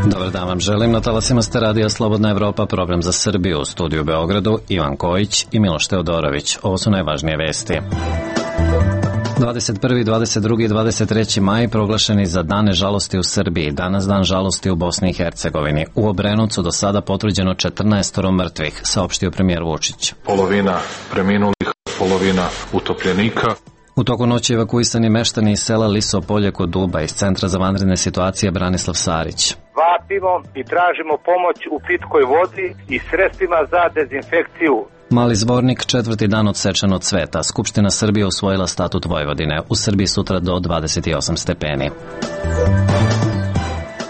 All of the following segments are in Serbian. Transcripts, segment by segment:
Dobar dan vam želim. Na talasima ste radija Slobodna Evropa, program za Srbiju. U studiju u Beogradu Ivan Kojić i Miloš Teodorović. Ovo su najvažnije vesti. 21., 22. i 23. maj proglašeni za dane žalosti u Srbiji. Danas dan žalosti u Bosni i Hercegovini. U Obrenovcu do sada potvrđeno 14 mrtvih, saopštio premijer Vučić. Polovina preminulih, polovina utopljenika. U toku noći evakuisani meštani iz sela Lisopolje kod Duba iz Centra za vanredne situacije Branislav Sarić. Vapimo i tražimo pomoć u pitkoj vodi i sredstvima za dezinfekciju. Mali Zvornik, 4. dan od svečanog cveta. Skupština Srbije usvojila statut Vojvodine. U Srbiji sutra do 28 stepeni.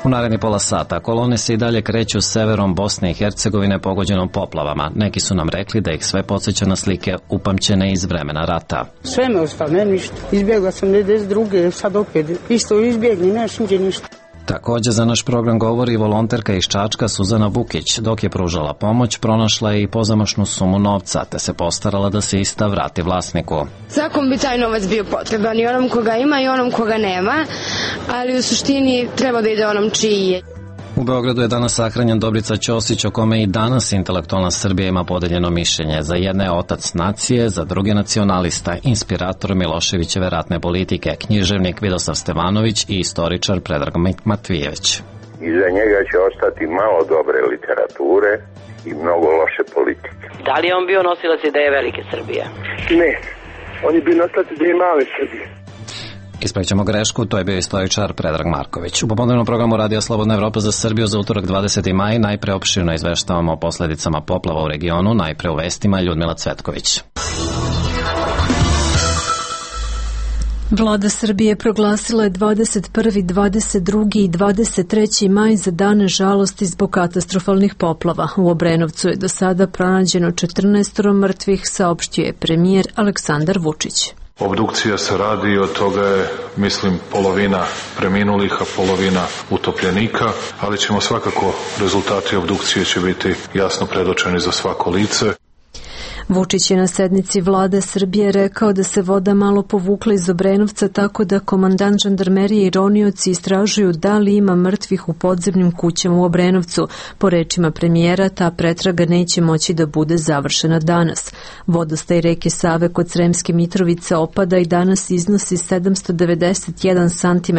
U naredni pola sata kolone se i dalje kreću severom Bosne i Hercegovine pogođenom poplavama. Neki su nam rekli da ih sve podsjeća na slike upamćene iz vremena rata. Sve me ostalo, ne ništa. Izbjegla sam 92. sad opet. Isto izbjegli, neš niđe ništa. Također za naš program govori volonterka iz Čačka Suzana Vukić. Dok je pružala pomoć, pronašla je i pozamašnu sumu novca, te se postarala da se ista vrati vlasniku. Svakom bi taj novac bio potreban, i onom koga ima i onom koga nema, ali u suštini treba da ide onom čiji je. U Beogradu je danas sahranjen Dobrica Ćosić, o kome i danas intelektualna Srbija ima podeljeno mišljenje. Za jedne je otac nacije, za druge nacionalista, inspirator Miloševićeve ratne politike, književnik Vidosav Stevanović i istoričar Predrag Matvijević. Iza njega će ostati malo dobre literature i mnogo loše politike. Da li je on bio nosilac ideje velike Srbije? Ne, on je bio nosilac ideje male Srbije. Ispravit ćemo grešku, to je bio istoričar Predrag Marković. U popodnevnom programu Radija Slobodna Evropa za Srbiju za utorak 20. maj najpre opširno izveštavamo o posledicama poplava u regionu, najpre u vestima Ljudmila Cvetković. Vlada Srbije proglasila je 21., 22. i 23. maj za dane žalosti zbog katastrofalnih poplava. U Obrenovcu je do sada pronađeno 14 mrtvih, saopštio je premijer Aleksandar Vučić. Obdukcija se radi, od toga je, mislim, polovina preminulih, a polovina utopljenika, ali ćemo svakako, rezultati obdukcije će biti jasno predočeni za svako lice. Vučić je na sednici vlade Srbije rekao da se voda malo povukla iz Obrenovca, tako da komandant žandarmerije i ronioci istražuju da li ima mrtvih u podzemnim kućama u Obrenovcu. Po rečima premijera, ta pretraga neće moći da bude završena danas. Vodostaj reke Save kod Sremske Mitrovice opada i danas iznosi 791 cm,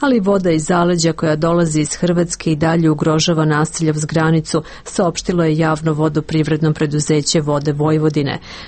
ali voda iz zaleđa koja dolazi iz Hrvatske i dalje ugrožava naselja uz granicu, saopštilo je javno vodoprivredno preduzeće Vode Vojvodine.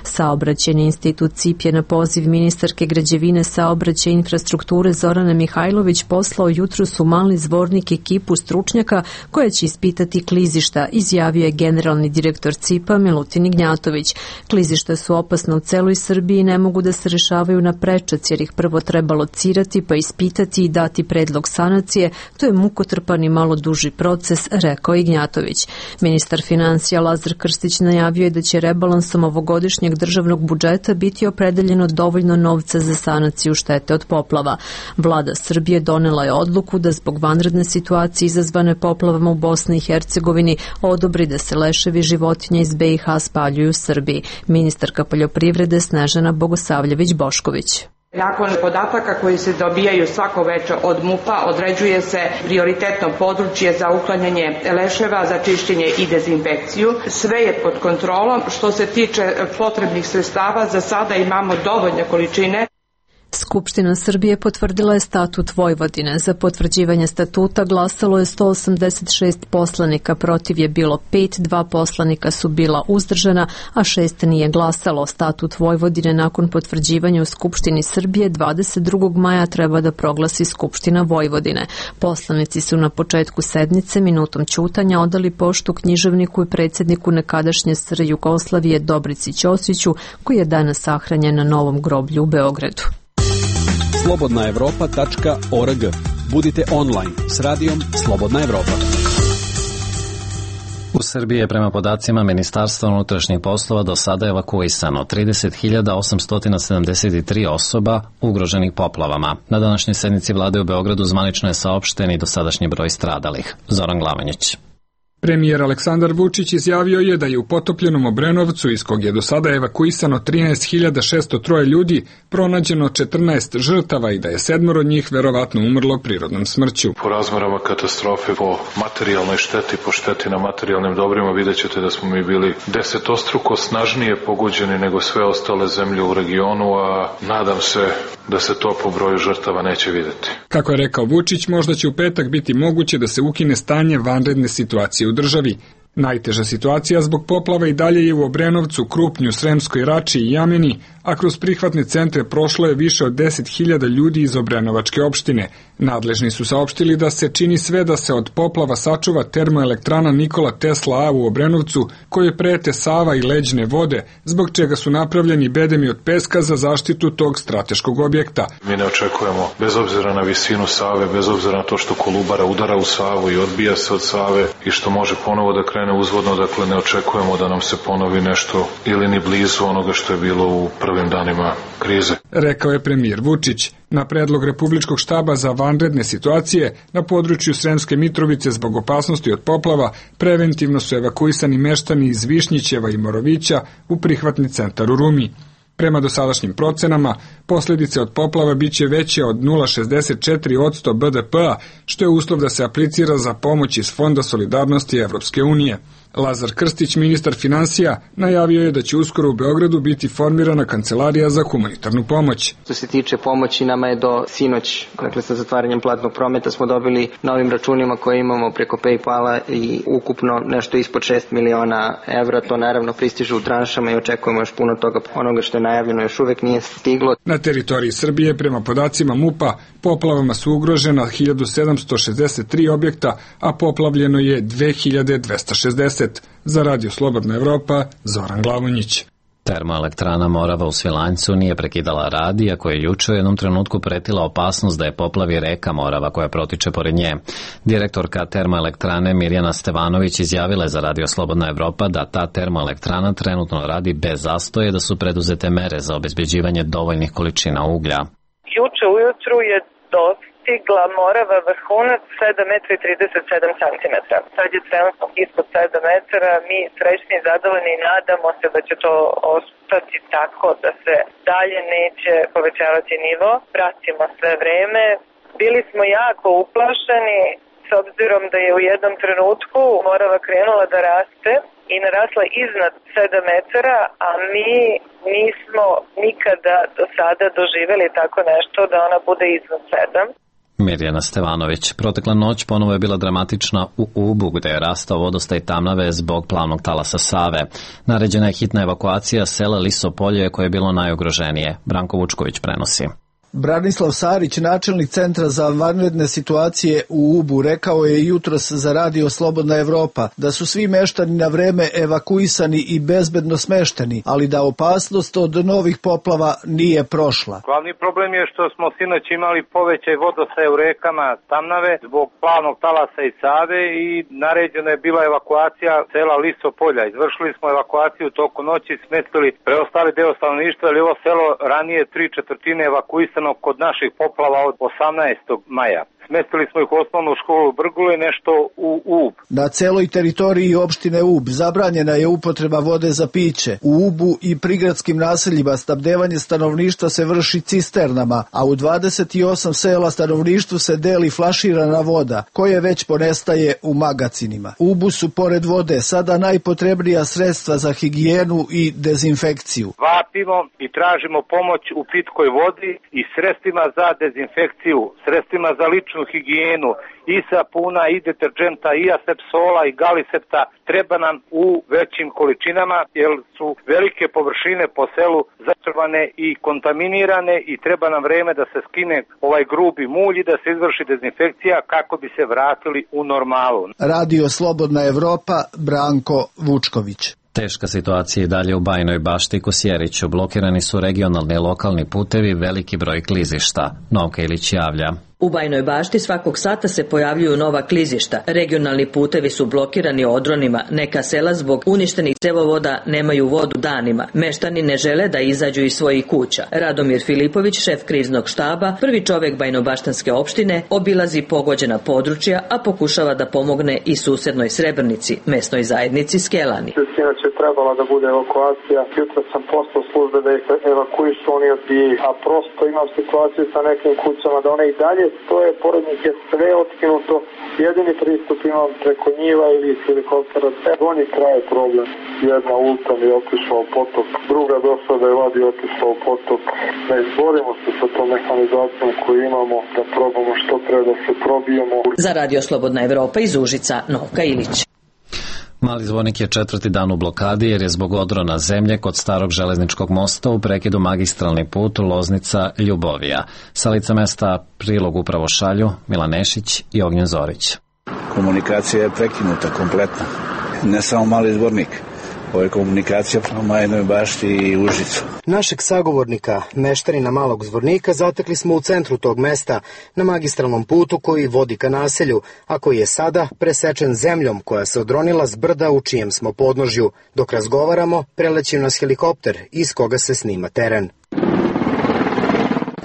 Saobraćajni institut CIP je na poziv ministarke građevine, saobraćaja i infrastrukture Zorane Mihajlović poslao jutros u Mali Zvornik ekipu stručnjaka koja će ispitati klizišta, izjavio je generalni direktor CIP-a Milutin Ignjatović. Klizišta su opasna u celoj Srbiji i ne mogu da se rešavaju na prečac, jer ih prvo treba locirati pa ispitati i dati predlog sanacije. To je mukotrpan i malo duži proces, rekao Ignjatović. Ministar finansija Lazar Krstić najavio je da će rebalansom ovogodišnjeg državnog budžeta biti opredeljeno dovoljno novca za sanaciju štete od poplava. Vlada Srbije donela je odluku da zbog vanredne situacije izazvane poplavama u Bosni i Hercegovini odobri da se leševi životinja iz BiH spaljuju u Srbiji. Ministarka poljoprivrede Snežana Bogosavljević-Bošković. Nakon podataka koji se dobijaju svako veče od MUP-a određuje se prioritetno područje za uklanjanje leševa, za čišćenje i dezinfekciju. Sve je pod kontrolom. Što se tiče potrebnih sredstava, za sada imamo dovoljne količine. Skupština Srbije potvrdila je statut Vojvodine. Za potvrđivanje statuta glasalo je 186 poslanika, protiv je bilo 5, 2 poslanika su bila uzdržana, a 6 nije glasalo. Statut Vojvodine nakon potvrđivanja u Skupštini Srbije 22. maja treba da proglasi Skupština Vojvodine. Poslanici su na početku sednice minutom ćutanja odali poštu književniku i predsjedniku nekadašnje SR Jugoslavije Dobrici Ćosiću, koji je danas sahranjen na Novom groblju u Beogradu. slobodnaevropa.org. Budite online s radijom Slobodna Evropa. U Srbiji je prema podacima Ministarstva unutrašnjih poslova do sada evakuisano 30.873 osoba ugroženih poplavama. Na današnjoj sednici vlade u Beogradu zvanično je saopšten i dosadašnji broj stradalih. Zoran Glavanjić. Premijer Aleksandar Vučić izjavio je da je u potopljenom Obrenovcu, iz kog je do sada evakuisano 13.603 ljudi, pronađeno 14 žrtava i da je 7 od njih verovatno umrlo prirodnom smrću. Po razmerama katastrofe, po materijalnoj šteti, po šteti na materijalnim dobrima, vidjet ćete da smo mi bili 10-struko snažnije pogođeni nego sve ostale zemlje u regionu, a nadam se da se to po broju žrtava neće videti. Kako je rekao Vučić, možda će u petak biti moguće da se ukine stanje vanredne situacije u državi. Najteža situacija zbog poplava i dalje je u Obrenovcu, Krupnju, Sremskoj Rači i Jameni, a kroz prihvatne centre prošlo je više od 10.000 ljudi iz Obrenovačke opštine. Nadležni su saopštili da se čini sve da se od poplava sačuva termoelektrana Nikola Tesla A u Obrenovcu, koje prete Sava i leđne vode, zbog čega su napravljeni bedemi od peska za zaštitu tog strateškog objekta. Mi ne očekujemo, bez obzira na visinu Save, bez obzira na to što Kolubara udara u Savu i odbija se od Save i što može ponovo da krene uzvodno, dakle ne očekujemo da nam se ponovi nešto ili ni blizu onoga što je bilo u prvim danima krize. Rekao je premijer Vučić. Na predlog Republičkog štaba za vanredne situacije na području Sremske Mitrovice zbog opasnosti od poplava preventivno su evakuisani meštani iz Višnjićeva i Morovića u prihvatni centar u Rumi. Prema dosadašnjim procenama, posljedice od poplava biće veće od 0,64% BDP-a, što je uslov da se aplicira za pomoć iz Fonda solidarnosti Evropske unije. Lazar Krstić, ministar finansija, najavio je da će uskoro u Beogradu biti formirana kancelarija za humanitarnu pomoć. Što se tiče pomoći, nama je do sinoć, dakle sa zatvaranjem platnog prometa, smo dobili novim računima koje imamo preko PayPala i ukupno nešto ispod 6 miliona evra. To naravno pristiže u tranšama i očekujemo još puno toga. Onoga što je najavljeno još uvek nije stiglo. Na teritoriji Srbije, prema podacima MUP-a, poplavama su ugrožena 1763 objekta, a poplavljeno je 2260. Za Radio Slobodna Evropa, Zoran Glavonjić. Termoelektrana Morava u Svilajncu nije prekidala rad, iako je juče u jednom trenutku pretila opasnost da je poplavi reka Morava koja protiče pored nje. Direktorka termoelektrane Mirjana Stevanović izjavila je za Radio Slobodna Evropa da ta termoelektrana trenutno radi bez zastoje, da su preduzete mere za obezbeđivanje dovoljnih količina uglja. Juče ujutru je dostigla Morava vrhunac 7 metra i 37 centimetra. Sad je trenutno ispod 7 metara. Mi srećni i zadovoljni i nadamo se da će to ostati tako da se dalje neće povećavati nivo. Pratimo sve vreme. Bili smo jako uplašeni s obzirom da je u jednom trenutku Morava krenula da raste i narasla iznad 7 metara, a mi nismo nikada do sada doživjeli tako nešto da ona bude iznad 7. Mirjana Stevanović. Protekla noć ponovo je bila dramatična u Ubu, gde je rastao vodostaj Tamnave zbog plavnog talasa Save. Naređena je hitna evakuacija sela Lisopolje, koje je bilo najugroženije. Branko Vučković prenosi. Branislav Sarić, načelnik Centra za vanredne situacije u Ubu, rekao je jutros za Radio Slobodna Evropa da su svi meštani na vreme evakuisani i bezbedno smešteni, ali da opasnost od novih poplava nije prošla. Glavni problem je što smo sinoć imali povećaj vodostaja u rekama Tamnave zbog plavnog talasa i Save i naređena je bila evakuacija sela Lisopolja. Izvršili smo evakuaciju toku noći, smestili preostali deo stanovništva, ali ovo selo ranije 3/4 evakuisano kod naših poplava od 18. maja. Smestili smo ih u osnovnu školu u Brgule, nešto u Ub. Na celoj teritoriji opštine Ub zabranjena je upotreba vode za piće. U Ubu i prigradskim naseljima snabdevanje stanovništva se vrši cisternama, a u 28 sela stanovništvu se deli flaširana voda, koje već ponestaje u magacinima. U Ubu su pored vode sada najpotrebnija sredstva za higijenu i dezinfekciju. Vapimo i tražimo pomoć u pitkoj vodi i sredstvima za dezinfekciju, sredstvima za ličnu higijenu, i sapuna, i deterđenta, i asepsola, i galisepta treba nam u većim količinama, jer su velike površine po selu zatrovane i kontaminirane i treba nam vreme da se skine ovaj grubi mulj i da se izvrši dezinfekcija kako bi se vratili u normalu. Radio Slobodna Evropa, Branko Vučković. Teška situacija i dalje u Bajinoj Bašti i Kosjeriću. Blokirani su regionalni i lokalni putevi, veliki broj klizišta. Novka Ilić javlja. U Bajnoj Bašti svakog sata se pojavljuju nova klizišta. Regionalni putevi su blokirani odronima. Neka sela zbog uništenih cevovoda nemaju vodu danima. Meštani ne žele da izađu iz svojih kuća. Radomir Filipović, šef kriznog štaba, prvi čovek Bajnobaštanske opštine, obilazi pogođena područja, a pokušava da pomogne i susednoj Srebrnici, mesnoj zajednici Skelani. Sinoć je trebala da bude evakuacija. Jutro sam poslao službe da ih evakuišu, oni odbijaju. A prosto imam situaciju sa nekim kućama da one i dalje stoje, pored njih je sve otkinuto. Jedini pristup imam preko njiva ili iz helikoptera. Oni traje problem. Jedna ulica mi je otišla u potok, druga došla da je vadi otišla u potok. Ne izborimo se sa tom mehanizacijom koju imamo, da probamo što treba da se probijemo. Za Radio Slobodna Evropa iz Užica, Novka Ilić. Mali Zvornik je 4. dan u blokadi jer je zbog odrona zemlje kod starog železničkog mosta u prekidu magistralni put Loznica-Ljubovija. Sa lica mesta prilog upravo šalju Milan Nešić i Ognjen Zorić. Komunikacija je prekinuta kompletno. Ne samo Mali Zvornik. Ovo je komunikacija prema Bajnoj Bašti i Užicu. Našeg sagovornika, meštanina Malog Zvornika, zatekli smo u centru tog mesta, na magistralnom putu koji vodi ka naselju, a koji je sada presečen zemljom koja se odronila s brda u čijem smo podnožju. Dok razgovaramo, preleći nas helikopter iz koga se snima teren.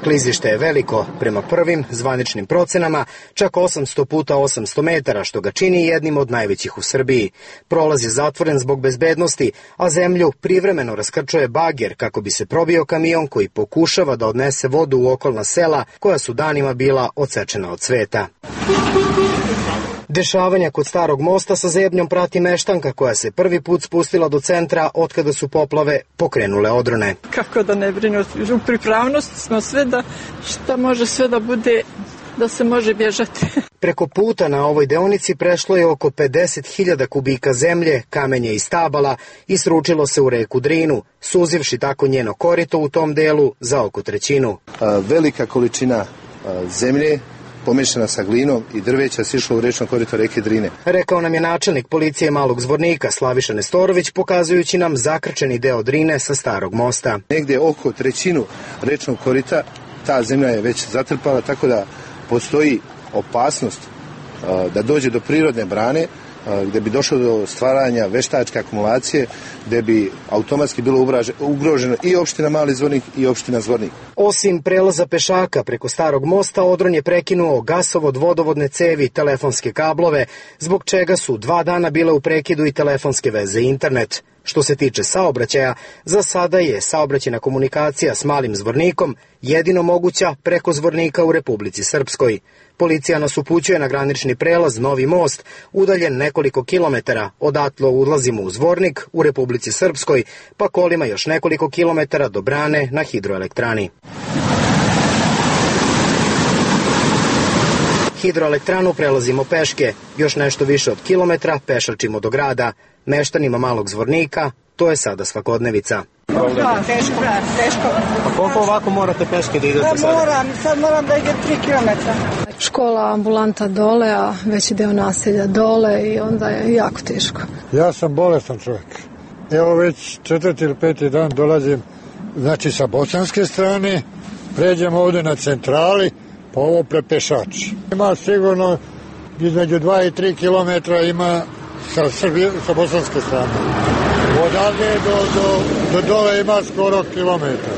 Klizište je veliko, prema prvim zvaničnim procenama, čak 800 puta 800 metara, što ga čini jednim od najvećih u Srbiji. Prolaz je zatvoren zbog bezbednosti, a zemlju privremeno raskrčuje bager kako bi se probio kamion koji pokušava da odnese vodu u okolna sela koja su danima bila odsečena od sveta. Dešavanja kod starog mosta sa zebnjom prati meštanka koja se prvi put spustila do centra otkada su poplave pokrenule odrone. Kako da ne brinu, u pripravnosti smo sve da šta može sve da bude, da se može bježati. Preko puta na ovoj deonici prešlo je oko 50.000 kubika zemlje, kamenje i stabala i sručilo se u reku Drinu, suzivši tako njeno korito u tom delu za oko trećinu. Velika količina zemlje pomešana sa glinom i drveća sišlo u rečno korito reke Drine. Rekao nam je načelnik policije Malog Zvornika Slaviša Nestorović, pokazujući nam zakrčeni deo Drine sa starog mosta. Negde oko trećinu rečnog korita ta zemlja je već zatrpala, tako da postoji opasnost da dođe do prirodne brane, gde bi došlo do stvaranja veštačke akumulacije, gde bi automatski bilo ugroženo i opština Mali Zvornik i opština Zvornik. Osim prelaza pešaka preko starog mosta, odron je prekinuo gasovod, vodovodne cevi, telefonske kablove, zbog čega su 2 dana bile u prekidu i telefonske veze i internet. Što se tiče saobraćaja, za sada je saobraćajna komunikacija s Malim Zvornikom jedino moguća preko Zvornika u Republici Srpskoj. Policija nas upućuje na granični prelaz Novi most, udaljen nekoliko kilometara. Odatle ulazimo u Zvornik u Republici Srpskoj, pa kolima još nekoliko kilometara do brane na hidroelektrani. Hidroelektranu prelazimo peške, još nešto više od kilometra pešačimo do grada. Meštanima Malog Zvornika to je sada svakodnevica. Da, teško. A koliko ovako morate peške da idete sada? Sad moram da idem 3 kilometra. Škola, ambulanta dole, a veći deo naselja dole i onda je jako teško. Ja sam bolestan čovjek. Evo već 4. ili 5. dan dolazim, znači sa bosanske strane, pređem ovde na centrali, pa ovo prepešači. Ima sigurno između 2 i 3 kilometra ima sa bosanske strane. Odavde do dole ima skoro kilometar.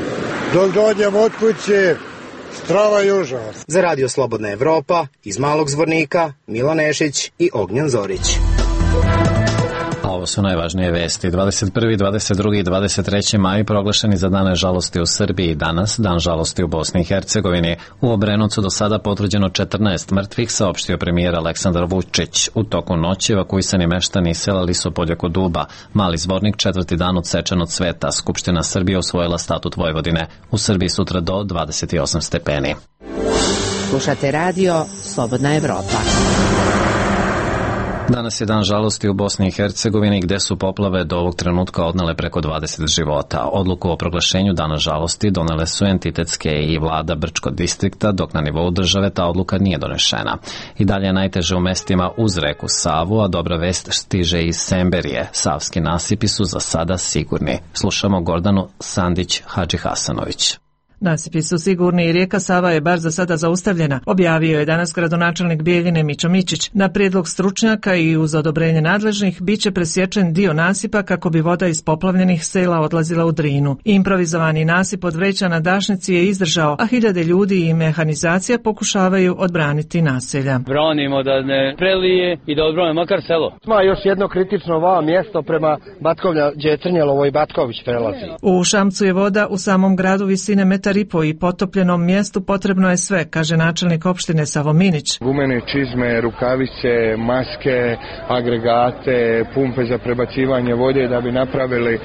Dok dođem od kuće, strava i užas. Za Radio Slobodna Evropa, iz Malog Zvornika, Milan Nešić i Ognjen Zorić. Ovo su najvažnije vesti. 21., 22. i 23. maj proglašeni za dane žalosti u Srbiji. Danas, dan žalosti u Bosni i Hercegovini. U Obrenovcu do sada potvrđeno 14 mrtvih, saopštio premijer Aleksandar Vučić. U toku noći evakuisani meštani selali su polje kod Duba. Mali Zvornik 4. dan odsečen od sveta. Skupština Srbije usvojila statut Vojvodine. U Srbiji sutra do 28 stepeni. Slušate radio Slobodna Evropa. Danas je dan žalosti u Bosni i Hercegovini gde su poplave do ovog trenutka odnele preko 20 života. Odluku o proglašenju dana žalosti donele su entitetske i vlada Brčkog distrikta, dok na nivou države ta odluka nije donešena. I dalje je najteže u mestima uz reku Savu, a dobra vest stiže iz Semberije. Savski nasipi su za sada sigurni. Slušamo Gordanu Sandić Hadži Hasanović. Nasipi su sigurni i rijeka Sava je bar za sada zaustavljena, objavio je danas gradonačelnik Bijeljine Mićo Mićić. Na prijedlog stručnjaka i uz odobrenje nadležnih biće presječen dio nasipa kako bi voda iz poplavljenih sela odlazila u Drinu. Improvizovani nasip od vreća na Dašnici je izdržao, a hiljade ljudi i mehanizacija pokušavaju odbraniti naselja. Branimo da ne prelije i da odbranimo makar selo. Ima još jedno kritično mjesto prema Batkovlja, gdje je Trnjelovo i Batković prelazi. U Šamcu je voda u samom gradu visine 1,5 m i potopljenom mjestu potrebno je sve, kaže načelnik opštine Savo Minić. Gumene čizme, rukavice, maske, agregate, pumpe za prebacivanje vode da bi napravili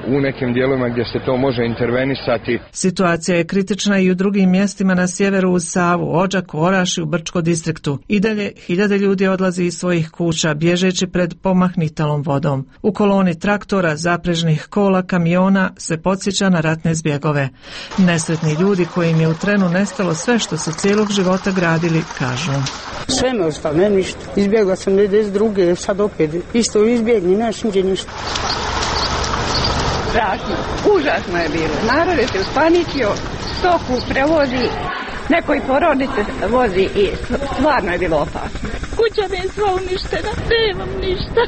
u nekim dijelovima gdje se to može intervenisati. Situacija je kritična i u drugim mjestima na sjeveru uz Savu, Odžaku, Orašju, u Brčko distriktu. I dalje hiljade ljudi odlazi iz svojih kuća, bježeći pred pomahnitalom vodom. U koloni traktora, zaprežnih kola, kamiona se podsjeća na ratne zbjegove. Nesretni ljudi kojim je u trenu nestalo sve što su cijelog života gradili, kažu. Sve me ostalo, ne ništa. Izbjegla sam 92. sad opet isto izbjegni, neš niđe ništa. Strašno, užasno je bilo. Narod je se uspaničio, stoku prevozi, neko i porodice vozi i stvarno je bilo opasno. Kuća mi je sva uništena, nemam ništa.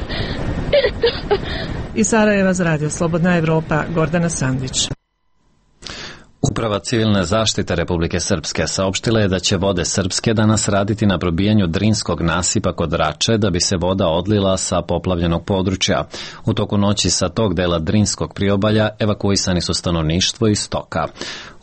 Iz Sarajeva za Radio Slobodna Evropa, Gordana Sandić. Uprava civilne zaštite Republike Srpske saopštila je da će Vode Srpske danas raditi na probijanju Drinskog nasipa kod Rače da bi se voda odlila sa poplavljenog područja. U toku noći sa tog dela Drinskog priobalja evakuisani su stanovništvo i stoka.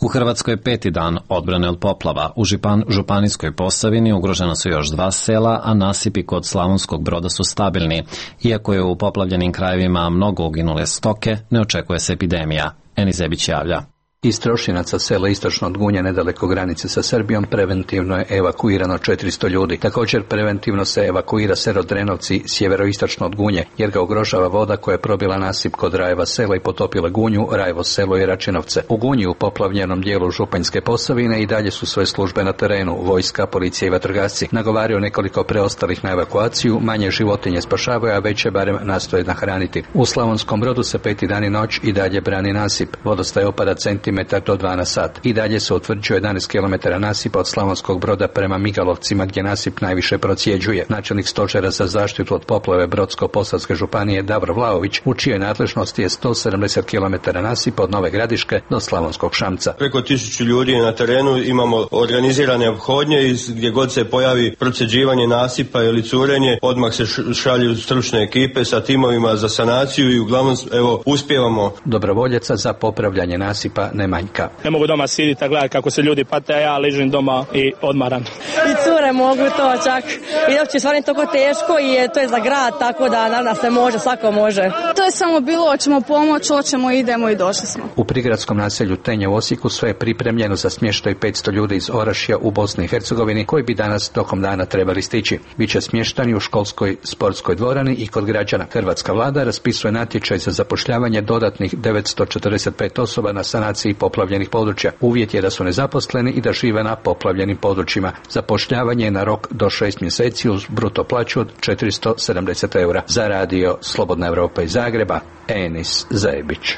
U Hrvatskoj je 5. dan odbrane od poplava. U Županijskoj Posavini ugrožena su još 2 sela, a nasipi kod Slavonskog Broda su stabilni. Iako je u poplavljenim krajevima mnogo uginule stoke, ne očekuje se epidemija. Eni Zebić javlja. Iz Trošinaca, sela istočno od Gunje, nedaleko granice sa Srbijom, preventivno je evakuirano 400 ljudi. Također preventivno se evakuira selo Drenovci, sjeveroistočno od Gunje, jer ga ugrožava voda koja je probila nasip kod Rajeva sela i potopila Gunju, Rajevo selo i Račinovce. U Gunji, u poplavljenom dijelu Županjske Posavine, i dalje su sve službe na terenu, vojska, policija i vatrogasci. Nagovaraju nekoliko preostalih na evakuaciju, manje životinje spašavaju, a veće barem nastoje nahraniti. U Slavonskom Brodu se 5. dan i noć i dalje brani nasip. Vodostaj opada centimetar do 2 na sat. I dalje se utvrđuje 11 km nasipa od Slavonskog Broda prema Migalovcima, gdje nasip najviše procjeđuje. Načelnik stožera za zaštitu od poplave Brodsko-posavske županije Davor Vlaović, u čijoj nadležnosti je 170 km nasipa od Nove Gradiške do Slavonskog Šamca. Preko 1000 ljudi je na terenu, imamo organizirane ophodnje i gdje god se pojavi procjeđivanje nasipa ili curenje, odmah se šalju stručne ekipe sa timovima za sanaciju i uglavnom uspijevamo. Dobrovoljaca za popravljanje nasipa ne manjka. Ne mogu doma siditi a gledati kako se ljudi pate, a ja ležim doma i odmaram. I cure mogu to čak. I uopće stvarno je toliko teško i to je za grad, tako da naravno se može, svako može. To je samo bilo, hoćemo pomoć, hoćemo, idemo i došli smo. U prigradskom naselju Tenje u Osijeku sve je pripremljeno za smještaj 500 ljudi iz Orašja u Bosni i Hercegovini koji bi danas tokom dana trebali stići. Biće smještani u školskoj sportskoj dvorani i kod građana. Hrvatska vlada raspisuje natječaj za zapošljavanje dodatnih 945 osoba na sanaciji poplavljenih područja. Uvjet je da su nezaposleni i da žive na poplavljenim područjima. Zapošljavanje je na rok do 6 mjeseci uz bruto plaću od 470 eura. Za Radio Slobodna Evropa iz Zagreba, Enis Zajebić.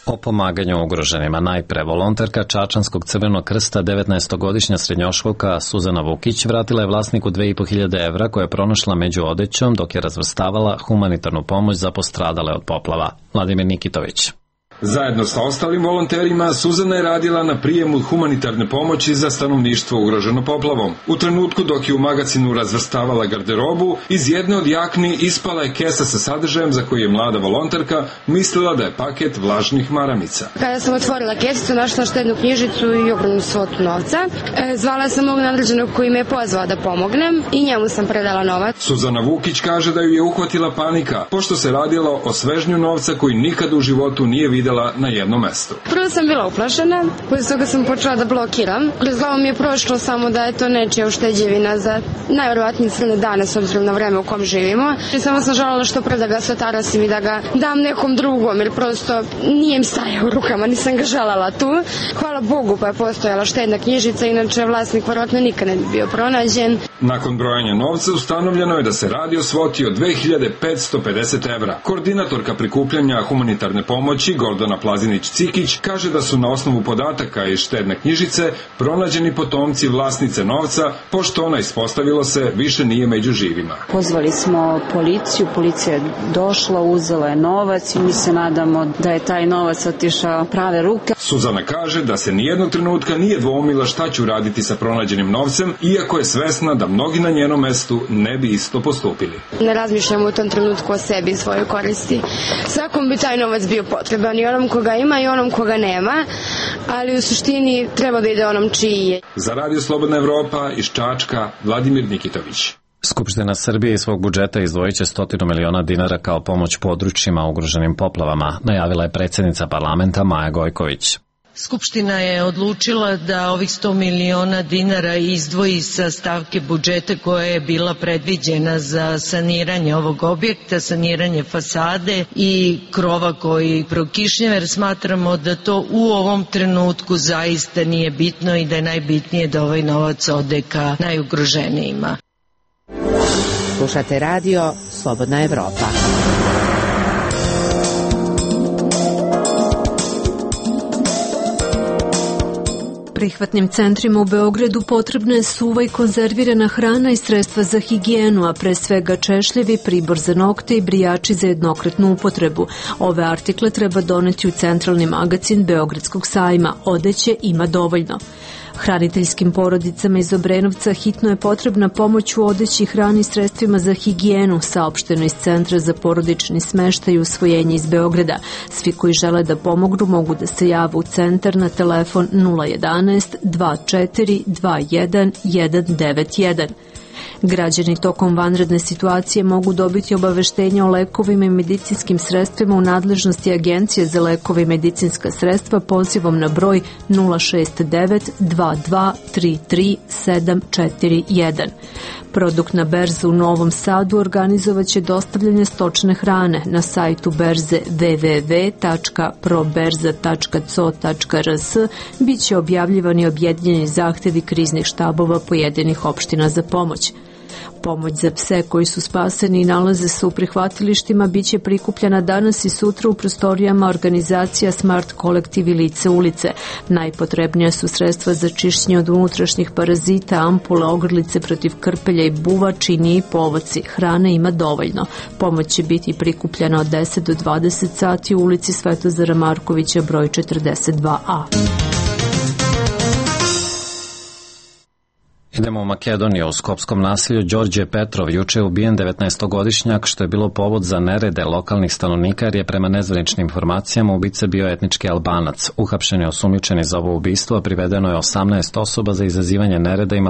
O pomaganju ugroženima najpre volonterka Čačanskog Crvenog krsta 19-godišnja srednjoškolka Suzana Vukić vratila je vlasniku 2500 evra koje je pronašla među odećom dok je razvrstavala humanitarnu pomoć za postradale od poplava. Vladimir Nikitović. Zajedno sa ostalim volonterima, Suzana je radila na prijemu humanitarne pomoći za stanovništvo ugroženo poplavom. U trenutku dok je u magazinu razvrstavala garderobu, iz jedne od jakni ispala je kesa sa sadržajem za koji je mlada volonterka mislila da je paket vlažnih maramica. Kada sam otvorila kesicu, našla štednu knjižicu i ogromnu svotu novca. Zvala sam mog nadređenog koji me je pozvao da pomognem i njemu sam predala novac. Suzana Vukić kaže da ju je uhvatila panika, pošto se radilo o svežnju novca koji nikad u životu nije videla na jednom mestu. Prvo sam bila uplašena, poslije toga sam počela da blokiram. Kroz glavu mi je prošlo samo da je to nečija ušteđevina za najvjerovatnije crne dane s obzirom na vreme u kom živimo. I samo sam željela što pre da ga satarasim i da ga dam nekom drugom, jer prosto nije im stajao u rukama, nisam ga željela tu. Hvala Bogu pa je postojala štedna knjižica, inače vlasnik vjerojatno nikad ne bi bio pronađen. Nakon brojanja novca ustanovljeno je da se radi o svoti od 2550 evra. Koordinatorka prikupljanja humanitarne pomoći Aldona Plazinić-Cikić kaže da su na osnovu podataka iz štedne knjižice pronađeni potomci vlasnice novca, pošto ona, ispostavilo se, više nije među živima. Pozvali smo policiju, policija je došla, uzela je novac i mi se nadamo da je taj novac otišao prave ruke. Suzana kaže da se nijednog trenutka nije dvoumila šta će uraditi sa pronađenim novcem, iako je svesna da mnogi na njenom mestu ne bi isto postupili. Ne razmišljamo u tom trenutku o sebi i svojoj koristi. Svakom bi taj novac bio potreban, i onom koga ima i onom koga nema, ali u suštini treba da ide onom čiji je. Za Radio Slobodna Evropa iz Čačka, Vladimir Nikitović. Skupština Srbije iz svog budžeta izdvojit će 100 miliona dinara kao pomoć područjima ugroženim poplavama, najavila je predsjednica parlamenta Maja Gojković. Skupština je odlučila da ovih 100 miliona dinara izdvoji sa stavke budžeta koja je bila predviđena za saniranje ovog objekta, saniranje fasade i krova koji prokišnjava, jer smatramo da to u ovom trenutku zaista nije bitno i da je najbitnije da ovaj novac ode ka najugroženijima. Slušate radio Slobodna Evropa. Prihvatnim centrima u Beogradu potrebna je suva i konzervirana hrana i sredstva za higijenu, a pre svega češljevi, pribor za nokte i brijači za jednokratnu upotrebu. Ove artikle treba doneti u centralni magacin Beogradskog sajma. Odeće ima dovoljno. Hraniteljskim porodicama iz Obrenovca hitno je potrebna pomoć u odeći, hrani i sredstvima za higijenu, saopšteno iz Centra za porodični smeštaj i usvojenje iz Beograda. Svi koji žele da pomognu mogu da se jave u centar na telefon 011 24 21 191. Građani tokom vanredne situacije mogu dobiti obaveštenje o lekovima i medicinskim sredstvima u nadležnosti Agencije za lekove i medicinska sredstva pozivom na broj 069 22 33 741. Produkt na berzu u Novom Sadu organizovaće dostavljanje stočne hrane na sajtu berze www.proberza.co.rs. Biće objavljivani objedinjeni zahtevi kriznih štabova pojedinih opština za pomoć. Pomoć za pse koji su spaseni i nalaze se u prihvatilištima biće prikupljena danas i sutra u prostorijama organizacija Smart Kolektiv i Lice ulice. Najpotrebnija su sredstva za čišćenje od unutrašnjih parazita, ampule, ogrlice protiv krpelja i buva, čini i povoci. Hrane ima dovoljno. Pomoć će biti prikupljena od 10 do 20 sati u ulici Svetozara Markovića broj 42A. Idemo u Makedoniju. U skopskom naselju Đorđe Petrov juče je ubijen 19-godišnjak, što je bilo povod za nerede lokalnih stanovnika, jer je prema nezvaničnim informacijama ubica bio etnički Albanac. Uhapšen je osumnjičeni za ovo ubistvo, a privedeno je 18 osoba za izazivanje nereda i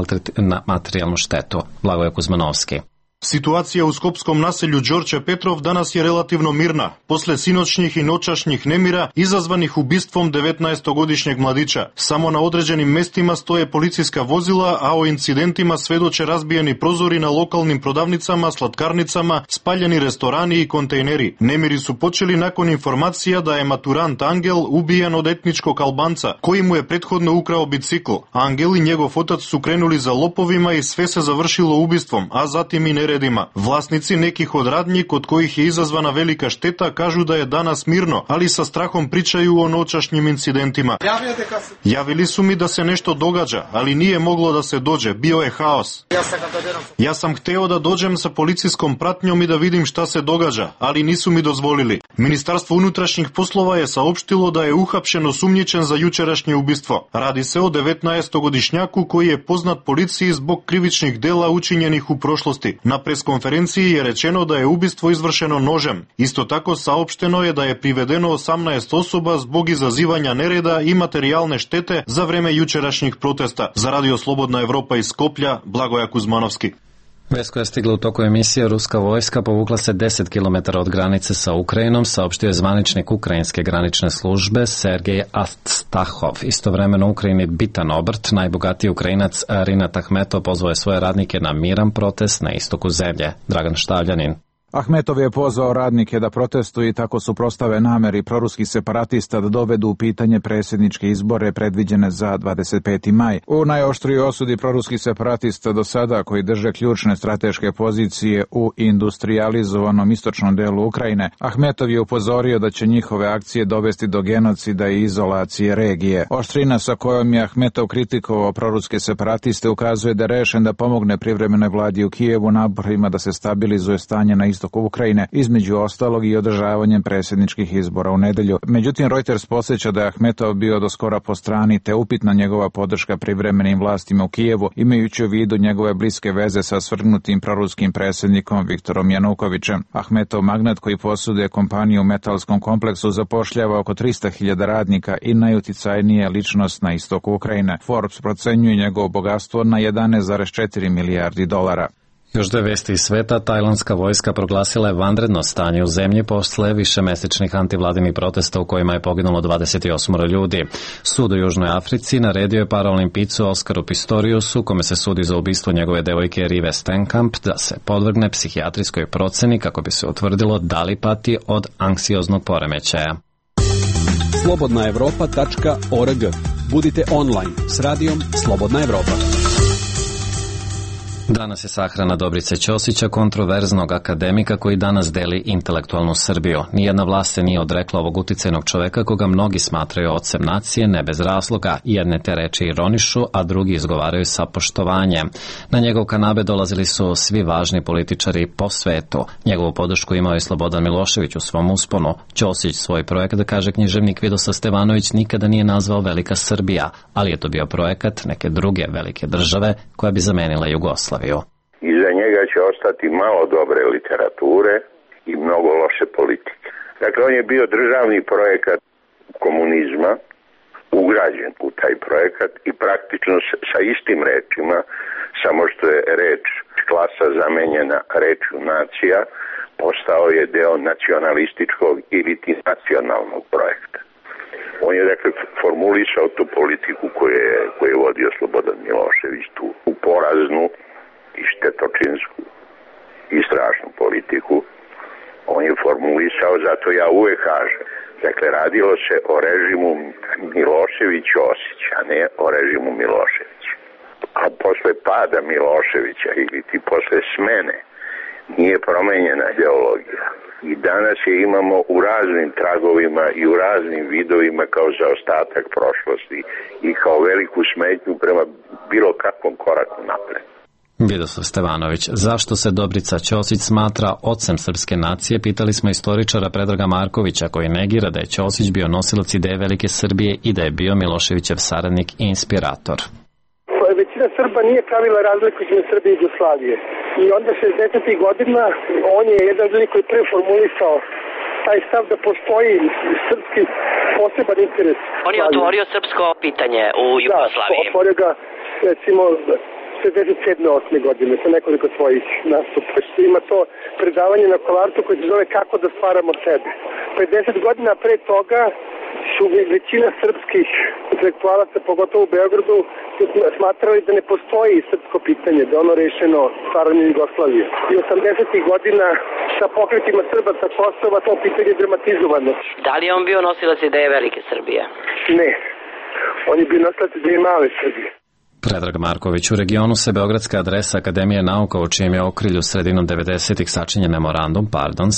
materijalnu štetu. Blagoje Kuzmanovski. Situacija u skopskom naselju Đorđe Petrov danas je relativno mirna, posle sinoćnih i noćašnjih nemira izazvanih ubistvom 19-godišnjeg mladića. Samo na određenim mestima stoje policijska vozila, a o incidentima svedoče razbijeni prozori na lokalnim prodavnicama, slatkarnicama, spaljeni restorani i kontejneri. Nemiri su počeli nakon informacija da je maturant Angel ubijen od etničkog Albanca, koji mu je prethodno ukrao bicikl. Angel i njegov otac su krenuli za lopovima i sve se završilo ubistvom, a zatim i neredima. Vlasnici nekih od radnji kod kojih je izazvana velika šteta kažu da je danas mirno, ali sa strahom pričaju o noćašnjim incidentima. Javili su mi da se nešto događa, ali nije moglo da se dođe, bio je haos. Ja sam hteo da dođem sa policijskom pratnjom i da vidim šta se događa, ali nisu mi dozvolili. Ministarstvo unutrašnjih poslova je saopštilo da je uhapšen osumnjičen za jučerašnje ubistvo. Radi se o 19-godišnjaku koji je poznat policiji zbog krivičnih dela učinjenih u prošlosti. Na preskonferenciji je rečeno da je ubistvo izvršeno nožem. Isto tako saopšteno je da je privedeno 18 osoba zbog izazivanja nereda i materijalne štete za vreme jučerašnjih protesta. Za Radio Slobodna Evropa iz Skoplja, Blagoje Kuzmanovski. Vest koja je stigla u toku emisije, ruska vojska povukla se 10 km od granice sa Ukrajinom, saopštio je zvaničnik ukrajinske granične službe Sergej Astahov. Istovremeno u Ukrajini bitan obrt, najbogatiji Ukrajinac Rinat Ahmetov pozvao je svoje radnike na miran protest na istoku zemlje. Dragan Štavljanin. Ahmetov je pozvao radnike da protestuju i tako suprotstave nameri proruskih separatista da dovedu u pitanje predsjedničke izbore predviđene za 25. maj. U najoštriji osudi proruskih separatista do sada, koji drže ključne strateške pozicije u industrijalizovanom istočnom delu Ukrajine, Ahmetov je upozorio da će njihove akcije dovesti do genocida i izolacije regije. Oštrina sa kojom je Ahmetov kritikovao proruske separatiste ukazuje da je rešen da pomogne privremenoj vladi u Kijevu naporima da se stabilizuje stanje na istoku Ukrajine, između ostalog i održavanjem predsjedničkih izbora u nedelju. Međutim, Reuters podsjeća da je Ahmetov bio do skora po strani te upitna njegova podrška privremenim vlastima u Kijevu, imajući u vidu njegove bliske veze sa svrgnutim proruskim predsjednikom Viktorom Janukovićem. Ahmetov magnat koji posjeduje kompaniju u metalskom kompleksu zapošljava oko 300.000 radnika i najuticajnija ličnost na istoku Ukrajine. Forbes procenjuje njegovo bogatstvo na 11,4 milijardi dolara. Još dve vesti iz sveta. Tajlandska vojska proglasila je vanredno stanje u zemlji posle višemesečnih antivladinih protesta u kojima je poginulo 28 ljudi. Sud u Južnoj Africi naredio je paraolimpijicu Oskaru Pistoriusu, kome se sudi za ubistvo njegove devojke Rive Stenkamp, da se podvrgne psihijatrijskoj proceni kako bi se utvrdilo da li pati od anksioznog poremećaja. slobodnaevropa.org. Budite online s radijom Slobodna Evropa. Danas je sahrana Dobrice Ćosića, kontroverznog akademika koji danas deli intelektualnu Srbiju. Nijedna vlast se nije odrekla ovog uticajnog čoveka koga mnogi smatraju ocem nacije, ne bez razloga. Jedne te reči ironišu, a drugi izgovaraju sa poštovanjem. Na njegov kanabe dolazili su svi važni političari po svetu. Njegovu podršku imao je Slobodan Milošević u svom usponu. Ćosić svoj projekat, kaže književnik Vidoslav Stevanović, nikada nije nazvao Velika Srbija, ali je to bio projekat neke druge velike države koja bi zamenila Jugoslaviju. Iza njega će ostati malo dobre literature i mnogo loše politike. Dakle, on je bio državni projekat komunizma, ugrađen u taj projekat i praktično sa istim rečima, samo što je reč klasa zamenjena rečju nacija, postao je deo nacionalističkog ili nacionalnog projekta. On je, dakle, formulisao tu politiku koju je vodio Slobodan Milošević, tu poraznu i štetočinsku i strašnu politiku. On je formulisao, zato ja uvek kažem, dakle, radilo se o režimu Milošević-Osić, a ne o režimu Milošević. A posle pada Miloševića ili ti posle smene nije promenjena ideologija. I danas je imamo u raznim tragovima i u raznim vidovima kao zaostatak prošlosti i kao veliku smetnju prema bilo kakvom koraku napred. Vidoslav Stevanović, zašto se Dobrica Ćosić smatra ocem srpske nacije, pitali smo istoričara Predraga Markovića, koji negira da je Ćosić bio nosilac ideje Velike Srbije i da je bio Miloševićev saradnik i inspirator. Većina Srba nije pravila razliku između Srbije i Jugoslavije. I onda 60. godina on je jedan ljudi koji prvi formulisao taj stav da postoji srpski poseban interes. On je otvorio srpsko pitanje u Jugoslaviji. Da, otvorio ga recimo 67. godine sa nekoliko svojih nastupa. Ima to predavanje na Kolarcu koje se zove Kako da stvaramo sebe. 50 godina pre toga su većina srpskih intelektualaca, pogotovo u Beogradu, smatrali da ne postoji srpsko pitanje, da ono rešeno stvaranjem Jugoslavije. I 80. godina sa pokretima Srba sa Kosova to pitanje je dramatizovano. Da li je on bio nosilac ideje Velike Srbije? Ne. On je bio nosilac ideje Male Srbije. Predrag Marković, u regionu se beogradska adresa Akademije nauka u čijem je okrilju sredinom 90-ih sačinjen memorandum,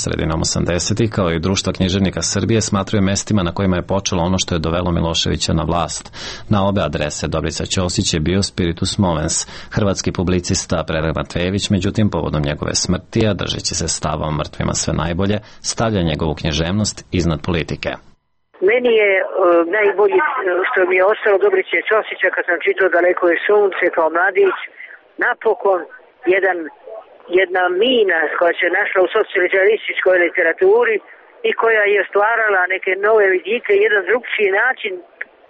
sredinom 80-ih, kao i Društvo književnika Srbije, smatraju mestima na kojima je počelo ono što je dovelo Miloševića na vlast. Na obe adrese Dobrica Ćosić je bio spiritus movens. Hrvatski publicista Predrag Matvejević, međutim, povodom njegove smrti, a držeći se stava o mrtvima sve najbolje, stavlja njegovu književnost iznad politike. Meni je najbolji što mi je ostalo Dobrice Ćosića kad sam čitao Daleko je sunce kao mladić, napokon jedna mina koja se našla u socijalističkoj literaturi i koja je stvarala neke nove vidike, jedan drugčiji način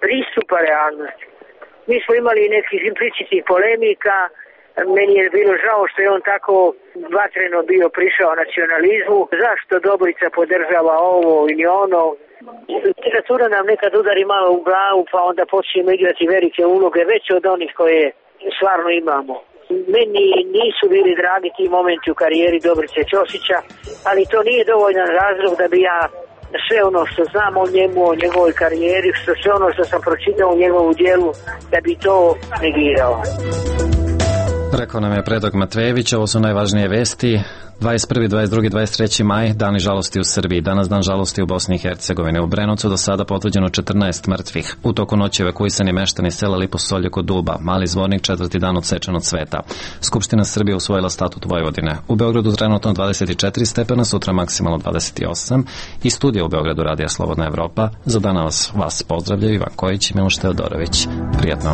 pristupa realnosti. Mi smo imali nekih implicitnih polemika, meni je bilo žao što je on tako vatreno bio prišao nacionalizmu, zašto Dobrica podržava ovo ili ono. Literatura nam nekad udari malo u glavu, pa onda počnemo igrati velike uloge, veće od onih koje stvarno imamo. Meni nisu bili dragi ti momenti u karijeri Dobrice Ćosića, ali to nije dovoljan razlog da bi ja sve ono što znam o njemu, o njegovoj karijeri, sve ono što sam pročitao u njegovu dijelu, da bi to negirao. Rekao nam je Predrag Matvejević, ovo su najvažnije vesti. 21., 22., 23. maj, dani žalosti u Srbiji. Danas dan žalosti u Bosni i Hercegovini. U Brenovcu do sada potvrđeno 14 mrtvih. U toku noći evakuisani meštani sela Liposolje kod Duba. Mali Zvornik 4. dan odsečen od sveta. Skupština Srbije usvojila statut Vojvodine. U Beogradu trenutno 24 stepena, sutra maksimalno 28. I studija u Beogradu Radija Slobodna Evropa. Za danas vas pozdravljaju Ivan Kojić i Miloš Teodorović. Prijatno.